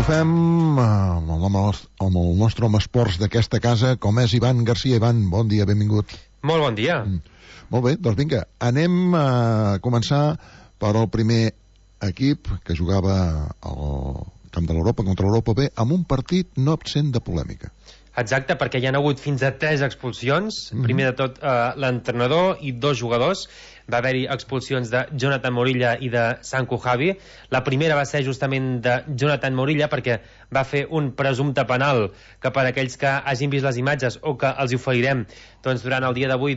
fem amb el nostre home esports d'aquesta casa, com és Ivan Garcia. Ivan, bon dia, benvingut. Molt bon dia. Molt bé, doncs vinga, anem a començar per el primer equip que jugava al camp de l'Europa contra l'Europa B amb un partit no absent de polèmica. Exacte, perquè hi ha hagut fins a 3 expulsions. Primer de tot, l'entrenador i 2 jugadors. Va haver-hi expulsions de Jonathan Morilla i de Sanku Javi. La primera va ser justament de Jonathan Morilla perquè va fer un presumpte penal que, per aquells que hagin vist les imatges o que els hi oferirem durant el dia d'avui,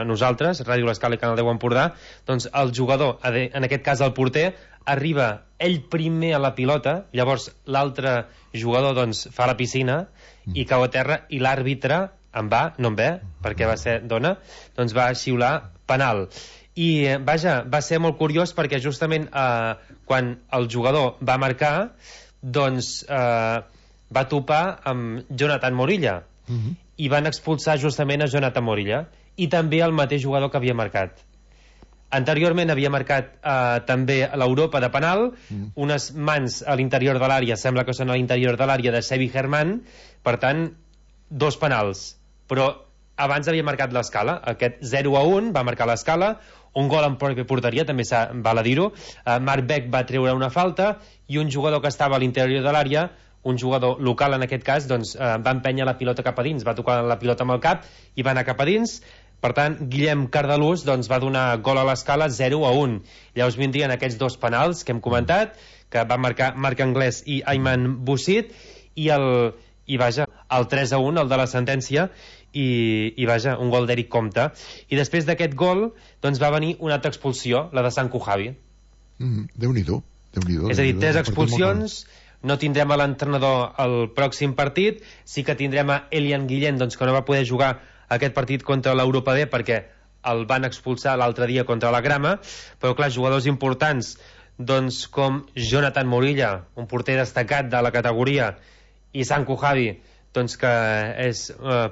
nosaltres, Ràdio L'Escala i Canal 10 Empordà, el jugador, en aquest cas el porter, arriba ell primer a la pilota, llavors l'altre jugador fa la piscina i cau a terra, i l'àrbitre no en ve, perquè va ser dona, va xiular penal. I vaja, va ser molt curiós perquè justament quan el jugador va marcar va topar amb Jonathan Morilla i van expulsar justament a Jonathan Morilla i també el mateix jugador que havia marcat. Anteriorment havia marcat també a l'Europa de penal, unes mans a l'interior de l'àrea, sembla que són a l'interior de l'àrea de Sevi Germán, per tant 2 penals, però abans havia marcat l'Escala, aquest 0-1 va marcar l'Escala, un gol en pròpia porteria, també val a dir-ho. Marc Beck va treure una falta i un jugador que estava a l'interior de l'àrea, un jugador local en aquest cas, va empènyer la pilota cap a dins, va tocar la pilota amb el cap i va anar cap a dins. Per tant, Guillem Cardalús va donar gol a l'Escala 0-1. Llavors vindrien aquests 2 penals que hem comentat, que van marcar Marc Anglès i Ayman Boussit, i el 3-1, el de la sentència, i vaja, un gol d'Eric Comte. I després d'aquest gol va venir una altra expulsió, la de Sanku Javi. Déu-n'hi-do. És a dir, 3 expulsions. No tindrem a l'entrenador al pròxim partit, sí que tindrem a Elian Guillén, que no va poder jugar aquest partit contra l'Europa B perquè el van expulsar l'altre dia contra la Grama, però clar, jugadors importants com Jonathan Morilla, un porter destacat de la categoria, i Sanku Javi, que és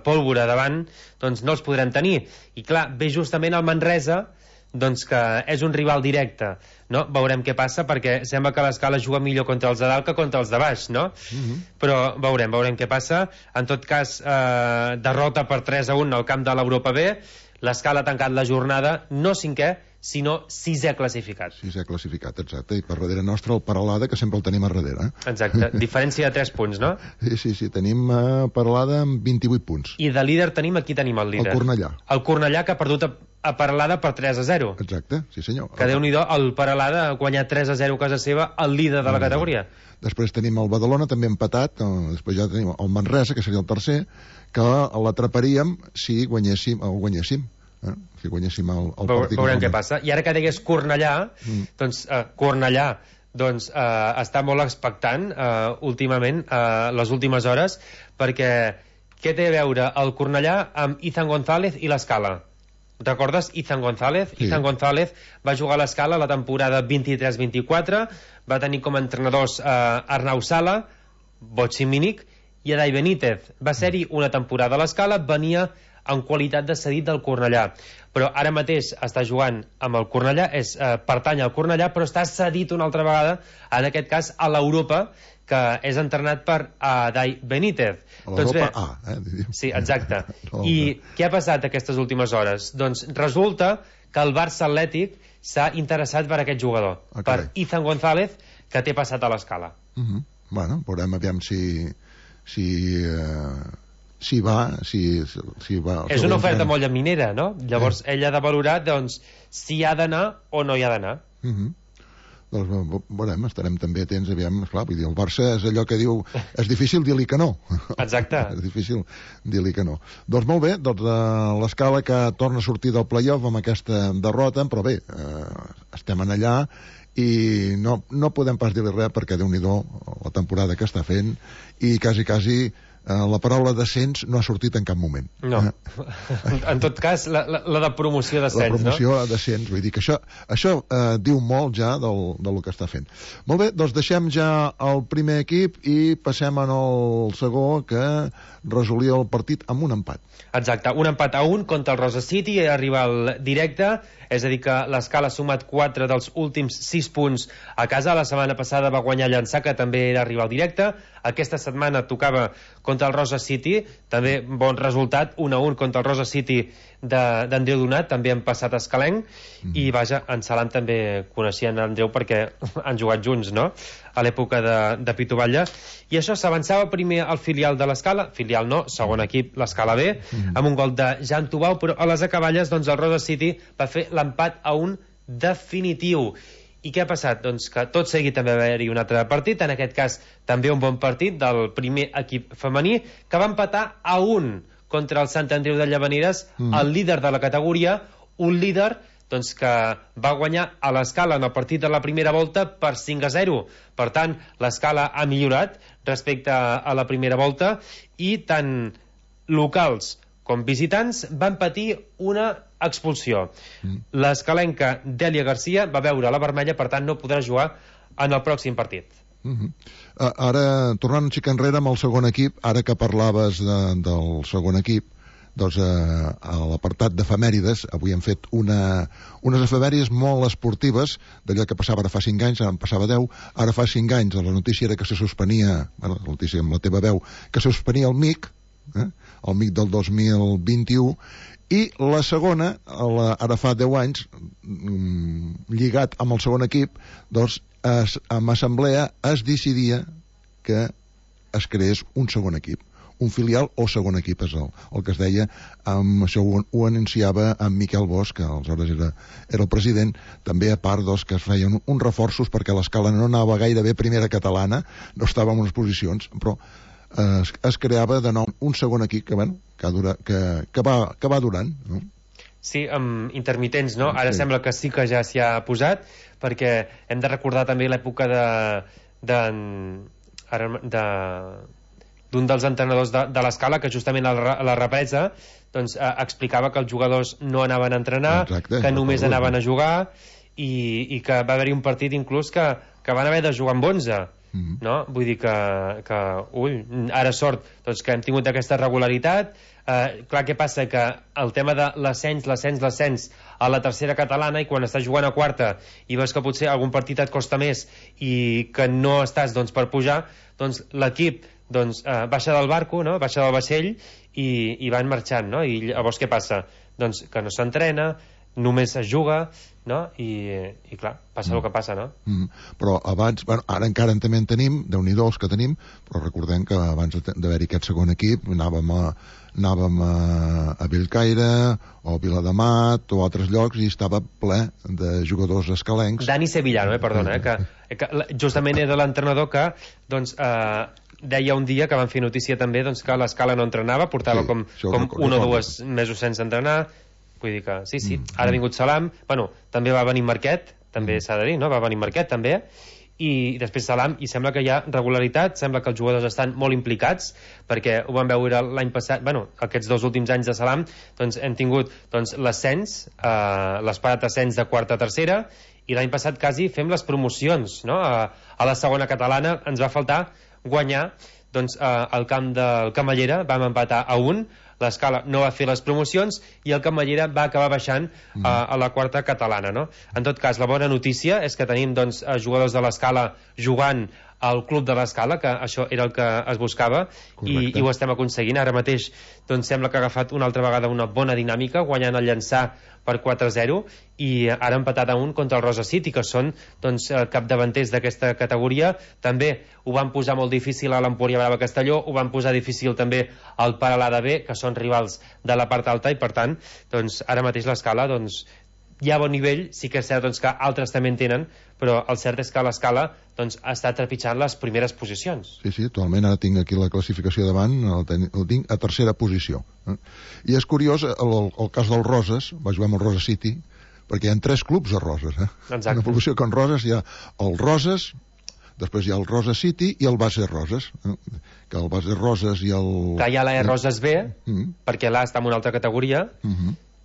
pólvora davant, no els podrem tenir. I clar, ve justament el Manresa, que és un rival directe, no? Veurem què passa, perquè sembla que l'Escala juga millor contra els de dalt que contra els de baix, no? Però veurem què passa. En tot cas, derrota per 3-1 al camp de l'Europa B. L'Escala ha tancat la jornada, no 5è, sinó 6è classificat. 6è classificat, exacte. I per darrere nostre el Peralada, que sempre el tenim a darrere. Exacte. Diferència de 3 punts, no? Sí. Tenim Peralada amb 28 punts. I de líder tenim el líder? El Cornellà. El Cornellà, que ha perdut a Peralada per 3-0. Exacte, sí senyor. Que Déu-n'hi-do, el Peralada ha guanyat 3-0 a casa seva, el líder de la categoria. Després tenim el Badalona, també empatat. Després ja tenim el Manresa, que seria el tercer, que l'atraparíem si guanyéssim si guanyéssim el partit. Veurem què passa. I ara que digués Cornellà, Cornellà està molt expectant últimament, les últimes hores, perquè què té a veure el Cornellà amb Izan González i l'Escala? Recordes Izan González? Sí. Izan González va jugar a l'Escala la temporada 23-24, va tenir com a entrenadors Arnau Sala, Botxi Mínic i Adai Benítez. Va ser-hi una temporada a l'Escala, venia en qualitat de cedit del Cornellà, però ara mateix està jugant amb el Cornellà, pertany al Cornellà, però està cedit una altra vegada, en aquest cas a l'Europa, que és entrenat per Adai Benítez. L'Europa A, Sí, exacte. I què ha passat aquestes últimes hores? Doncs resulta que el Barça Atlètic s'ha interessat per aquest jugador, per Izan González, que té passat a l'Escala. Bueno, veurem aviam si va. És una oferta molt llaminera, no? Llavors ell ha de valorar si hi ha d'anar o no hi ha d'anar. Doncs veurem, estarem també atents, aviam, esclar, vull dir, el Barça és allò que diu, és difícil dir-li que no. Exacte. És difícil dir-li que no. Doncs molt bé, l'Escala que torna a sortir del play-off amb aquesta derrota, però bé, estem en allà i no podem pas dir-li res perquè Déu-n'hi-do la temporada que està fent i quasi la paraula descens no ha sortit en cap moment. No. En tot cas, la de promoció d'ascens, no? La promoció a descens, vull dir que això diu molt ja del que està fent. Molt bé, doncs deixem ja el primer equip i passem al segon, que resolia el partit amb un empat. Exacte, un empat a 1 contra el Rosa City, arriba al directe, és a dir que l'Escala ha sumat 4 dels últims 6 punts a casa. La setmana passada va guanyar Llançà, que també era arribar al directe. Aquesta setmana tocava contra el Rosa City, també bon resultat, 1-1 contra el Rosa City d'Andreu Donat, també han passat escalenc, i vaja, en Salam també coneixien Andreu perquè han jugat junts, no?, a l'època de Pitu Batlle. I això, s'avançava primer al filial de l'Escala, filial no, segon equip, l'Escala B, amb un gol de Jan Tubau, però a les acaballes, doncs, el Rosa City va fer l'empat a 1 definitiu. I què ha passat? Doncs que tot seguit també va haver-hi un altre partit, en aquest cas també un bon partit del primer equip femení, que va empatar a 1 contra el Sant Andreu de Llavaneres, el líder de la categoria, un líder doncs, que va guanyar a l'Escala en el partit de la primera volta per 5-0. Per tant, l'Escala ha millorat respecte a la primera volta, i tant locals com visitants van patir una expulsió. L'escalenca Dèlia Garcia va veure la vermella, per tant no podrà jugar en el pròxim partit. Ara, tornant un xic enrere amb el segon equip, ara que parlaves del segon equip, doncs a l'apartat d'efemèrides avui hem fet unes efemèrides molt esportives, d'allò que passava ara fa 5 anys, ara en passava 10, ara fa 5 anys la notícia era que se suspenia, la notícia amb la teva veu, que se suspenia el MIC, el MIC del 2021, i la segona, ara fa 10 anys, lligat amb el segon equip, doncs amb assemblea es decidia que es creés un segon equip, un filial o segon equip, és el que es deia. Això ho anunciava en Miquel Bosch, que aleshores era el president, també a part que es feien uns reforços perquè l'Escala no anava gaire bé primera catalana, no estava en unes posicions, però es creava de nou un segon equip que va durant, no? Sí, amb intermitents, no? Ara sembla que sí que ja s'hi ha posat, perquè hem de recordar també l'època d'un dels entrenadors de l'Escala, que justament a la represa doncs, explicava que els jugadors no anaven a entrenar, que només anaven a jugar, i que va haver-hi un partit inclús que van haver de jugar amb 11, no? Vull dir que ara sort doncs, que hem tingut aquesta regularitat. Clar, què passa? Que el tema de l'ascens a la tercera catalana, i quan estàs jugant a quarta i veus que potser algun partit et costa més i que no estàs per pujar, doncs l'equip baixa del barco, no? Baixa del vaixell i van marxant, no? I llavors què passa? Doncs que no s'entrena, només es juga, no? I clar, passa el que passa, no? Però abans, ara encara també en tenim, Déu-n'hi-do els que tenim, però recordem que abans d'haver-hi aquest segon equip anàvem a Bellcaire o Viladamat o altres llocs i estava ple de jugadors escalencs. Dani Sevillano, perdona, que justament era l'entrenador que deia un dia, que van fer notícia també, que l'Escala no entrenava, portava com 1 o 2 mesos sense entrenar. Vull dir que sí. Ara ha vingut Salam, també va venir Marquet, també s'ha de dir, no? Va venir Marquet també, i després Salam, i sembla que hi ha regularitat, sembla que els jugadors estan molt implicats, perquè ho vam veure l'any passat, aquests 2 últims anys de Salam, doncs hem tingut l'ascens, l'esperat ascens de quarta a tercera, i l'any passat quasi fem les promocions, no? A la segona catalana ens va faltar guanyar, doncs al camp del Camallera vam empatar a 1, l'Escala no va fer les promocions i el Camallera va acabar baixant a la quarta catalana, no? En tot cas, la bona notícia és que tenim jugadors de l'Escala jugant al club de l'Escala, que això era el que es buscava, i ho estem aconseguint. Ara mateix sembla que ha agafat una altra vegada una bona dinàmica, guanyant el Llançà per 4-0, i ara empatat a 1 contra el Rosa City, que són capdavanters d'aquesta categoria. També ho van posar molt difícil a l'Empúria Brava Castelló, ho van posar difícil també al Peralada B, que són rivals de la part alta, i per tant ara mateix l'Escala hi ha bon nivell. Sí que és cert que altres també en tenen, però el cert és que l'Escala està trepitjant les primeres posicions. Sí, totalment. Ara tinc aquí la classificació davant, el tinc a tercera posició. I és curiós, el cas del Roses, va jugar amb el Rosa City, perquè hi ha 3 clubs a Roses. Exacte. Una població que en Roses hi ha el Roses, Després hi ha el Rosa City i el Base Roses, que el Base Roses i el... Clar, hi ha la Roses B, perquè l'A està en una altra categoria,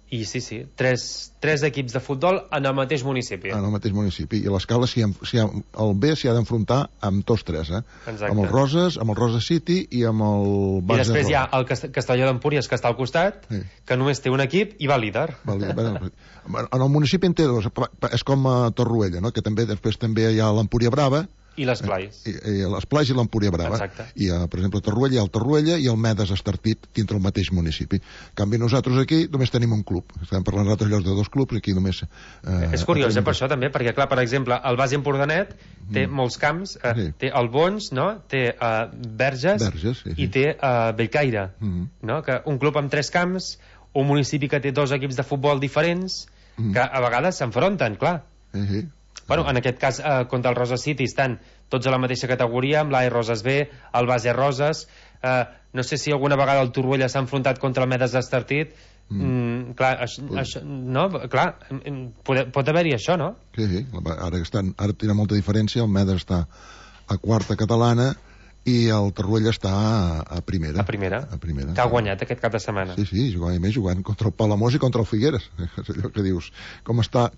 i sí, tres equips de futbol en el mateix municipi. En el mateix municipi. I l'escala, el B s'hi ha d'enfrontar amb tots tres, Exacte. Amb el Roses, amb el Rosa City i amb el Base. I després hi ha el Castelló d'Empúries, que està al costat, que només té un equip i va líder. En el municipi en té dos, és com a Torroella, no? Que després també hi ha l'Empúria Brava, i les Plais. I les Plais i l'Empúria Brava. Exacte. I, per exemple, a Torroella hi ha el Torroella i el Medes Estartit dintre el mateix municipi. En canvi, nosaltres aquí només tenim un club. Estem parlant d'altres llocs de dos clubs, aquí només... És curiós, per això també, perquè, clar, per exemple, el Base Empordanet té molts camps, té el Bons, no? Té Verges, i té Bellcaire, no? Que un club amb 3 camps, un municipi que té 2 equips de futbol diferents, que a vegades s'enfronten, clar. Bueno, en aquest cas, contra el Rosa City estan tots a la mateixa categoria, amb l'A Roses B, el Base Roses. No sé si alguna vegada el Torroella s'ha enfrontat contra el Medes Estartit. Clar, no? Clar, pot haver-hi això, no? Sí. Ara tenen molta diferència. El Medes està a quarta catalana i el Torroella està a primera. A primera. Que ha guanyat aquest cap de setmana. Sí, jugant contra el Palamós i contra el Figueres. És allò que dius, com està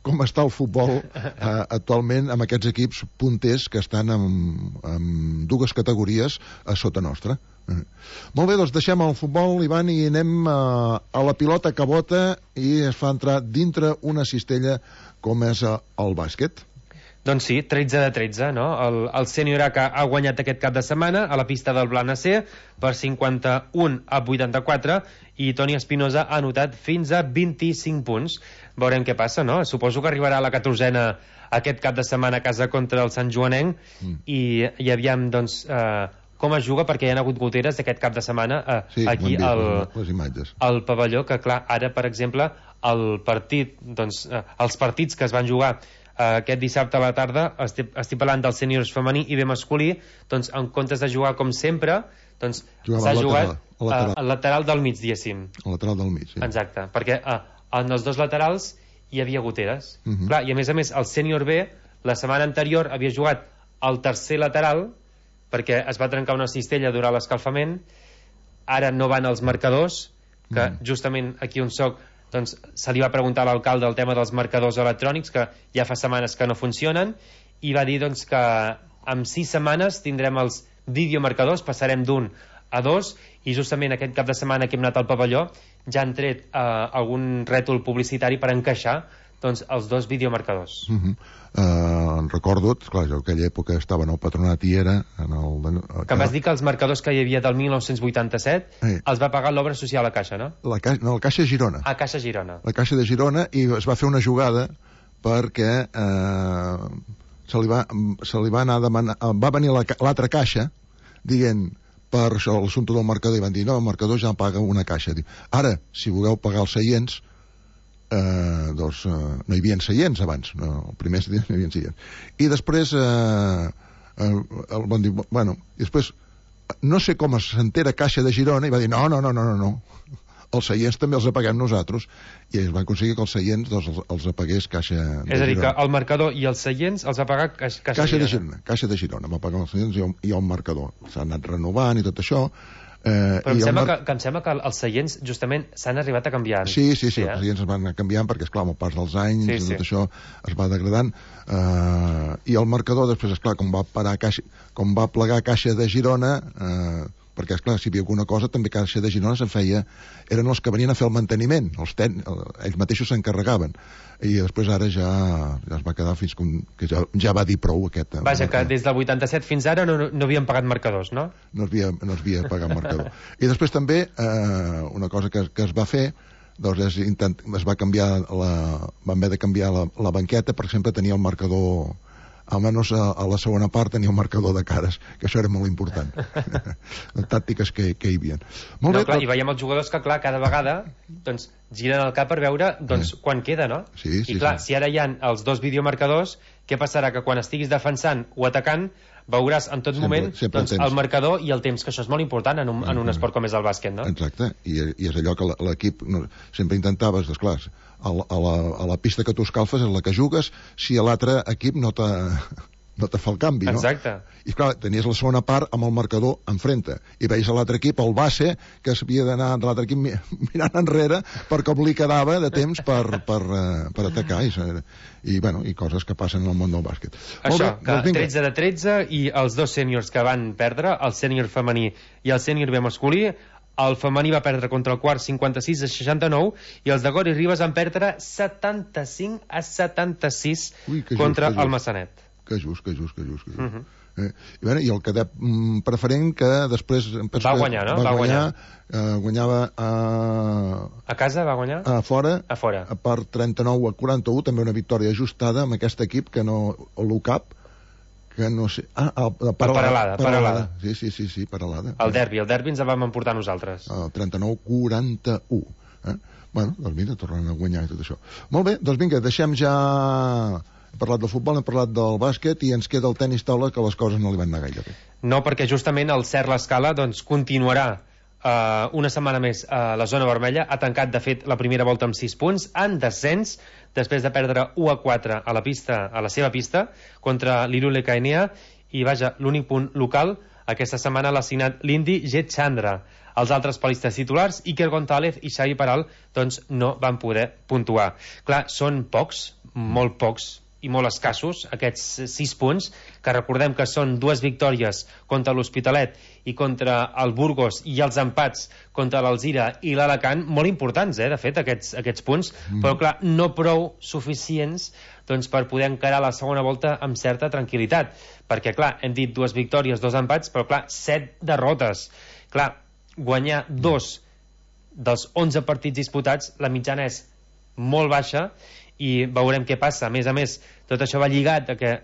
el futbol actualment amb aquests equips punters que estan en 2 categories a sota nostra. Molt bé, doncs deixem el futbol, Ivan, i anem a la pilota que bota i es fa entrar dintre una cistella com és el bàsquet. Doncs sí, 13 de 13, no? El Sènior A que ha guanyat aquest cap de setmana a la pista del Blanes per 51 a 84 i Toni Espinosa ha anotat fins a 25 punts. Veurem què passa, no? Suposo que arribarà a la 14a aquest cap de setmana a casa contra el Sant Joanenc i aviam, doncs, com es juga, perquè hi ha hagut goteres aquest cap de setmana aquí al pavelló, que clar, ara, per exemple, el partit, doncs, els partits que es van jugar aquest dissabte a la tarda, estic parlant dels sèniors femení i bé masculí, doncs en comptes de jugar com sempre, doncs s'ha jugat al lateral del mig, diguéssim. Al lateral del mig, sí. Exacte, perquè en els 2 laterals hi havia goteres. Clar, i a més, el sènior B la setmana anterior havia jugat al tercer lateral perquè es va trencar una cistella durant l'escalfament. Ara no van els marcadors, que justament aquí on soc, doncs se li va preguntar a l'alcalde el tema dels marcadors electrònics, que ja fa setmanes que no funcionen, i va dir doncs que en 6 setmanes tindrem els videomarcadors, passarem d'1 a 2, i justament aquest cap de setmana que hem anat al pavelló ja han tret algun rètol publicitari per encaixar doncs els 2 videomarcadors. Recordo, clar, jo en aquella època estava en el patronat i era que em vas dir que els marcadors que hi havia del 1987 els va pagar l'obra social a Caixa, no? La Caixa Girona. A Caixa Girona. La Caixa de Girona, i es va fer una jugada perquè se li va anar a demanar, va venir l'altra Caixa dient per això l'assumpte del marcador, i van dir no, el marcador ja paga una Caixa. Ara, si voleu pagar els seients, doncs no hi havia seients abans, el primer dia no hi havia seients, i després van dir, bueno, i després no sé com s'entera Caixa de Girona i va dir no, els seients també els apaguem nosaltres, i es va aconseguir que els seients els apagués Caixa de Girona. És a dir, que el marcador i els seients els va pagar Caixa de Girona. Caixa de Girona va pagar els seients i el marcador. S'ha anat renovant i tot això. Però em sembla que els seients justament s'han arribat a canviar. Sí, els seients es van anar canviant perquè, esclar, amb el pas dels anys tot això es va degradant, i el marcador després, esclar, com va plegar Caixa de Girona, perquè, esclar, si hi havia alguna cosa també Caixa de Girona eren els que venien a fer el manteniment, ells mateixos s'encarregaven, i després ara ja es va quedar fins que ja va dir prou aquest... Vaja, que des del 87 fins ara no havien pagat marcadors, no? No es havia pagat marcador. I després també una cosa que es va fer, doncs es va canviar van haver de canviar la banqueta, per exemple, tenia el marcador, almenys a la segona part tenia un marcador de cares, que això era molt important. Les tàctiques que hi havia. Molt bé, clar, i veiem els jugadors que, clar, cada vegada doncs, giren el cap per veure quan queda, no? Sí, i clar, si ara hi ha els 2 videomarcadors, què passarà? Que quan estiguis defensant o atacant veuràs en tot moment el marcador i el temps, que això és molt important en un esport com és el bàsquet, no? Exacte, i és allò que l'equip sempre intentaves, esclar, a la pista que tu escalfes és la que jugues, si l'altre equip no no te fa el canvi, no? Exacte. I clar, tenies la segona part amb el marcador enfrente, i veus a l'altre equip, el base, que s'havia d'anar de l'altre equip mirant enrere per com li quedava de temps per atacar, i bueno, i coses que passen en el món del bàsquet. Això, que 13 de 13, i els dos sèniors que van perdre, el sènior femení i el sènior B masculí, el femení va perdre contra el quart 56-69, i els de Gori Ribas van perdre 75-76 contra el Massanet. Que just. I el cadet preferent, que després va guanyar, no? Guanyava a casa, va guanyar? A fora. Per 39-41, també una victòria ajustada amb aquest equip que no, l'UCAP, que no sé... Paralada. Sí, Paralada. El derbi ens el vam emportar nosaltres. El 39-41. Bueno, doncs mira, tornant a guanyar i tot això. Molt bé, doncs vinga, deixem ja... Hem parlat del futbol, hem parlat del bàsquet, i ens queda el tenis taula, que les coses no li van anar gaire bé. No, perquè justament el Cert L'Escala doncs, continuarà una setmana més a la zona vermella. Ha tancat, de fet, la primera volta amb 6 punts, en descens, després de perdre 1-4 a la seva pista contra l'Irule Caenea, i vaja, l'únic punt local aquesta setmana l'ha signat l'indi Jet Chandra. Els altres palistes titulars, Iker González i Xavi Peral, doncs no van poder puntuar. Clar, són pocs, molt pocs i molt escassos, aquests 6 punts, que recordem que són 2 victòries contra l'Hospitalet i contra el Burgos, i els empats contra l'Alzira i l'Alacant, molt importants, de fet, aquests punts, però clar, no prou suficients doncs, per poder encarar la segona volta amb certa tranquil·litat, perquè clar, hem dit 2 victòries, 2 empats, però clar, 7 derrotes. Clar, guanyar 2 dels 11 partits disputats, la mitjana és molt baixa, i veurem què passa. A més, tot això va lligat a que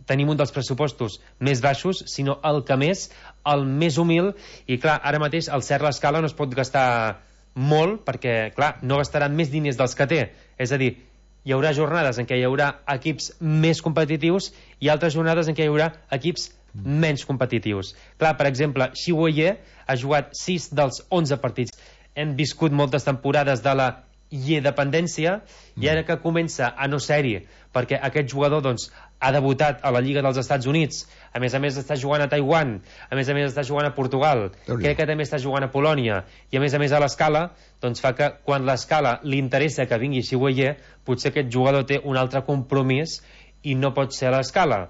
tenim un dels pressupostos més baixos, sinó el que més, el més humil, i clar, ara mateix el Cert L'Escala no es pot gastar molt, perquè clar, no gastaran més diners dels que té, és a dir, hi haurà jornades en què hi haurà equips més competitius i altres jornades en què hi haurà equips menys competitius. Clar, per exemple, Xiuoye ha jugat 6 dels 11 partits. Hem viscut moltes temporades de la dependència, i ara que comença a no ser-hi, perquè aquest jugador doncs, ha debutat a la Lliga dels Estats Units, a més està jugant a Taiwan, a més està jugant a Portugal, crec que també està jugant a Polònia, i a més a l'Escala, doncs fa que quan l'Escala li interessa que vingui Xiuoye, potser aquest jugador té un altre compromís i no pot ser a l'Escala.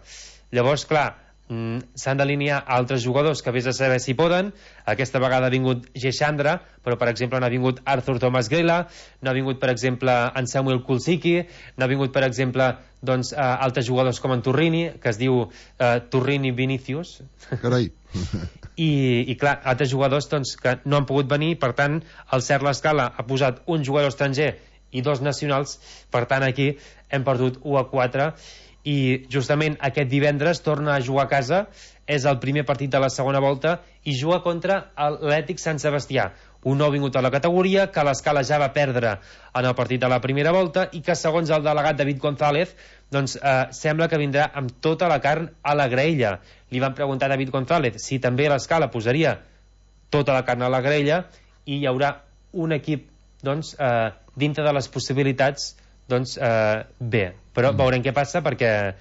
Llavors, clar, s'han d'alinear altres jugadors que vés a saber si poden. Aquesta vegada ha vingut Gexandra, però per exemple no ha vingut Arthur Thomas Grela, no ha vingut per exemple en Samuel Kulsiki, no ha vingut per exemple doncs, altres jugadors com en Turrini, que es diu Turrini Vinicius. Carai. I clar, altres jugadors doncs, que no han pogut venir, per tant el Cert L'Escala ha posat un jugador estranger i 2 nacionals, per tant aquí hem perdut 1-4, i justament aquest divendres torna a jugar a casa, és el primer partit de la segona volta, i juga contra l'Atlètic Sant Sebastià, un nou vingut a la categoria, que l'Escala ja va perdre en el partit de la primera volta, i que segons el delegat David González doncs sembla que vindrà amb tota la carn a la graella. Li van preguntar a David González si també l'Escala posaria tota la carn a la graella, i hi haurà un equip doncs, dintre de les possibilitats doncs bé, però veurem què passa, perquè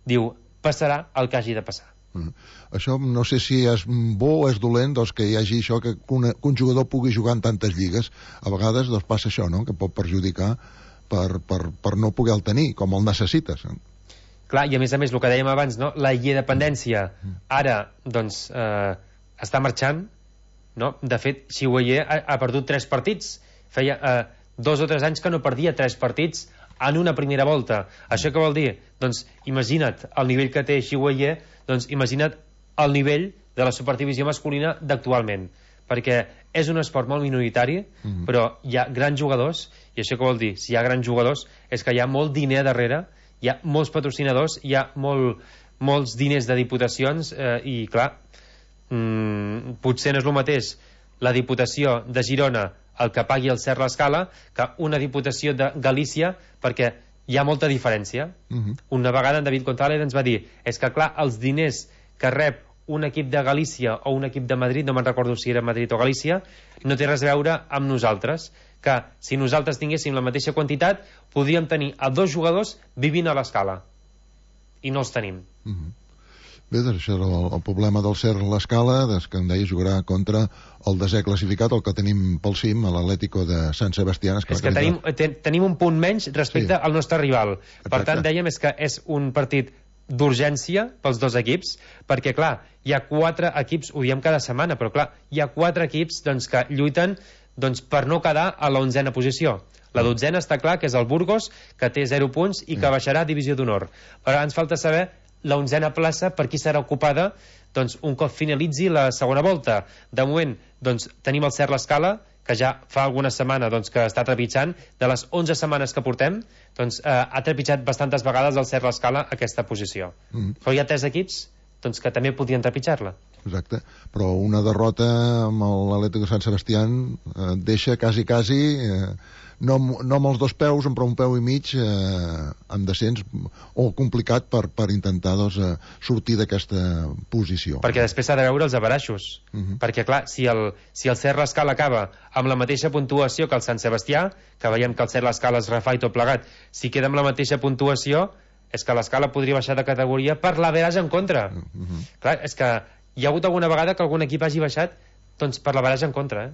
diu, passarà el que hagi de passar. Això no sé si és bo o és dolent, doncs, que hi hagi això, que un jugador pugui jugar en tantes lligues. A vegades doncs, passa això, no?, que pot perjudicar per no poder-el tenir, com el necessites. Clar, i a més, el que dèiem abans, no?, la dependència ara doncs, està marxant, no? De fet, Xiuoye ha perdut 3 partits, feia 2 o 3 anys que no perdia 3 partits en una primera volta. Això què vol dir? Doncs imagina't el nivell que té Xiuoye, doncs imagina't el nivell de la superdivisió masculina d'actualment, perquè és un esport molt minoritari, però hi ha grans jugadors, i això què vol dir? Si hi ha grans jugadors és que hi ha molt diner darrere, hi ha molts patrocinadors, hi ha molts diners de diputacions, i clar, potser no és el mateix la Diputació de Girona el que pagui el Cert L'Escala que una Diputació de Galícia, perquè hi ha molta diferència. Una vegada en David González ens va dir, és que clar, els diners que rep un equip de Galícia o un equip de Madrid, no me'n recordo si era Madrid o Galícia, no té res a veure amb nosaltres, que si nosaltres tinguéssim la mateixa quantitat podríem tenir a 2 jugadors vivint a l'Escala, i no els tenim. Bé, doncs això és el problema del Ser l'Escala, que em deia jugarà contra el desè classificat, el que tenim pel cim, l'Atlético de Sant Sebastián. És que tenim un punt menys respecte al nostre rival. Per tant, dèiem que és un partit d'urgència pels dos equips, perquè clar, hi ha 4 equips, ho diem cada setmana, però clar, hi ha 4 equips que lluiten per no quedar a la 11a posició. La 12a està clar que és el Burgos, que té 0 punts i que baixarà a divisió d'honor. Però ens falta saber la 11a plaça per qui serà ocupada un cop finalitzi la segona volta. De moment tenim el Ser l'Escala, que ja fa alguna setmana que està trepitjant. De les 11 setmanes que portem, ha trepitjat bastantes vegades el Ser l'Escala aquesta posició. Però hi ha 3 equips que també podien trepitjar-la. Exacte, però una derrota amb l'Atlético de Sant Sebastián deixa quasi no amb els 2 peus, però un peu i mig en descens o complicat per intentar sortir d'aquesta posició. Perquè després s'ha de veure els averaixos, perquè clar, si el Ser l'Escala acaba amb la mateixa puntuació que el Sant Sebastià, que veiem que el Ser l'Escala es refà i tot plegat, si queda amb la mateixa puntuació és que l'Escala podria baixar de categoria per l'averaix en contra. Clar, és que hi ha hagut alguna vegada que algun equip hagi baixat per l'averaix en contra,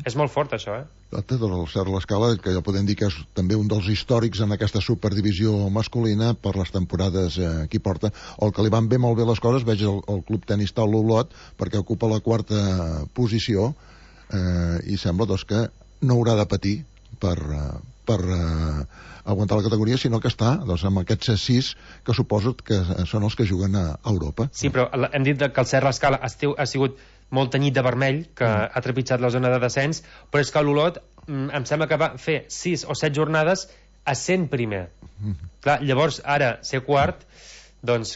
És molt fort, això, El Ser l'Escala, que ja podem dir que és també un dels històrics en aquesta superdivisió masculina per les temporades que hi porta. El que li van molt bé les coses, veig el Club Tenis Taula Olot, perquè ocupa la 4a posició i sembla que no haurà de patir per aguantar la categoria, sinó que està amb aquests 6 que suposo que són els que juguen a Europa. Sí, però hem dit que el Ser l'Escala ha sigut molt tenyit de vermell, que ha trepitjat la zona de descens, però és que l'Olot em sembla que va fer 6 o 7 jornades a 100 primer. Clar, llavors ara ser quart,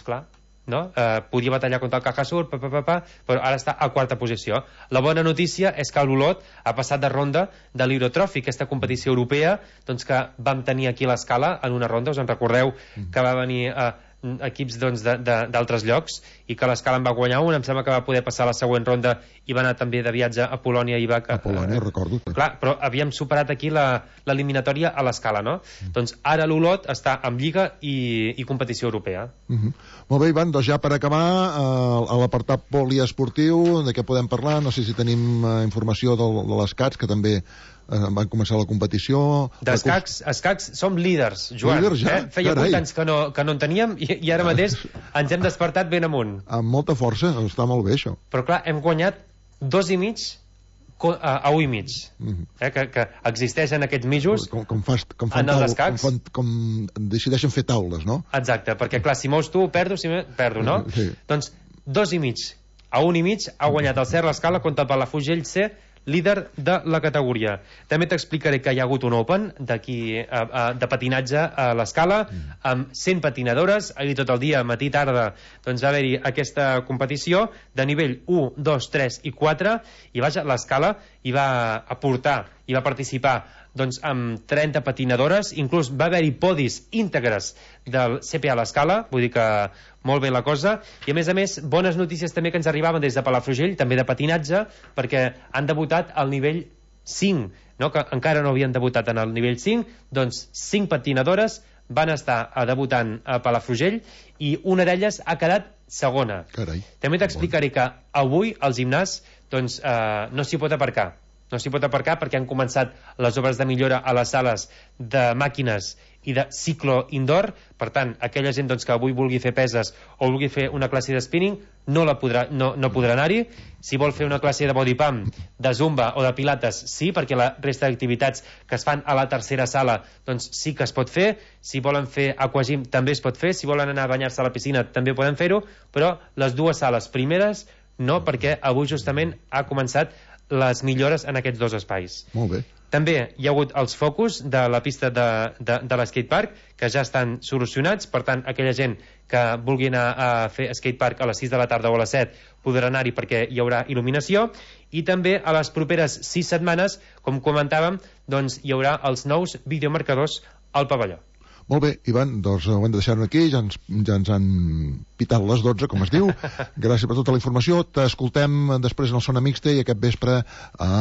clar, no? Podia batallar contra el Cajasur, però ara està a 4a posició. La bona notícia és que l'Olot ha passat de ronda de l'Eurotrophy, aquesta competició europea que vam tenir aquí a l'Escala en una ronda. Us en recordeu que va venir equips d'altres llocs i que l'Escala en va guanyar un, em sembla que va poder passar a la següent ronda i va anar també de viatge a Polònia i va... A Polònia, recordo. Clar, però havíem superat aquí l'eliminatòria a l'Escala, no? Doncs ara l'Olot està en Lliga i competició europea. Molt bé, Ivan, ja per acabar a l'apartat poliesportiu, de què podem parlar? No sé si tenim informació de les CATs, que també van començar la competició. D'escacs som líders, Joan. Líders ja? Feia 8 anys que no en teníem i ara mateix ens hem despertat ben amunt. Amb molta força, està molt bé això. Però clar, hem guanyat 2,5 a 1,5 que existeixen aquests mitjos en els escacs. Com decideixen fer taules, no? Exacte, perquè clar, si mous tu perdo, no? Sí. Doncs 2,5 a 1,5 ha guanyat el Ser l'Escala contra el Palafrugell C, líder de la categoria. També t'explicaré que hi ha hagut un Open d'aquí de patinatge a l'Escala amb 100 patinadores. Ahir tot el dia, matí, tarda, va haver-hi aquesta competició de nivell 1, 2, 3 i 4 i vaja, l'Escala hi va aportar, hi va participar amb 30 patinadores, inclús va haver-hi podis íntegres del CPA a l'Escala, vull dir que molt bé la cosa, i a més, bones notícies també que ens arribaven des de Palafrugell, també de patinatge, perquè han debutat al nivell 5, no? Que encara no havien debutat en el nivell 5, doncs 5 patinadores van estar debutant a Palafrugell i una d'elles ha quedat segona. Carai. També t'explicaré que avui al gimnàs no s'hi pot aparcar. No s'hi pot aparcar perquè han començat les obres de millora a les sales de màquines i de ciclo indoor. Per tant, aquella gent que avui vulgui fer peses o vulgui fer una classe de spinning no podrà anar-hi. Si vol fer una classe de body pump, de zumba o de pilates, sí, perquè la resta d'activitats que es fan a la tercera sala sí que es pot fer. Si volen fer aquagym també es pot fer. Si volen anar a banyar-se a la piscina també poden fer-ho, però les dues sales primeres no, perquè avui justament ha començat les millores en aquests dos espais. Molt bé. També hi ha hagut els focus de la pista de l'escatepark que ja estan solucionats, per tant aquella gent que vulgui anar a fer skatepark a les 6 de la tarda o a les 7 podrà anar-hi perquè hi haurà il·luminació, i també a les properes 6 setmanes, com comentàvem, hi haurà els nous videomarcadors al pavelló. Molt bé, Ivan, doncs ho hem de deixar aquí, ja ens han pitat les 12, com es diu. Gràcies per tota la informació. T'escoltem després en el Sona Mixta i aquest vespre a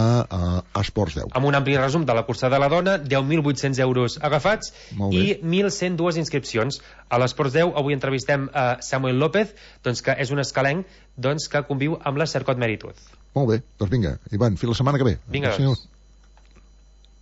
Esports 10. Amb un ampli resum de la cursa de la dona, 10.800 euros agafats i 1.102 inscripcions. A l'Esports 10 avui entrevistem a Samuel López, doncs, que és un escalenc, doncs, que conviu amb la Cercot Meritud. Molt bé, doncs vinga, Ivan, fins la setmana que ve. Vinga, doncs.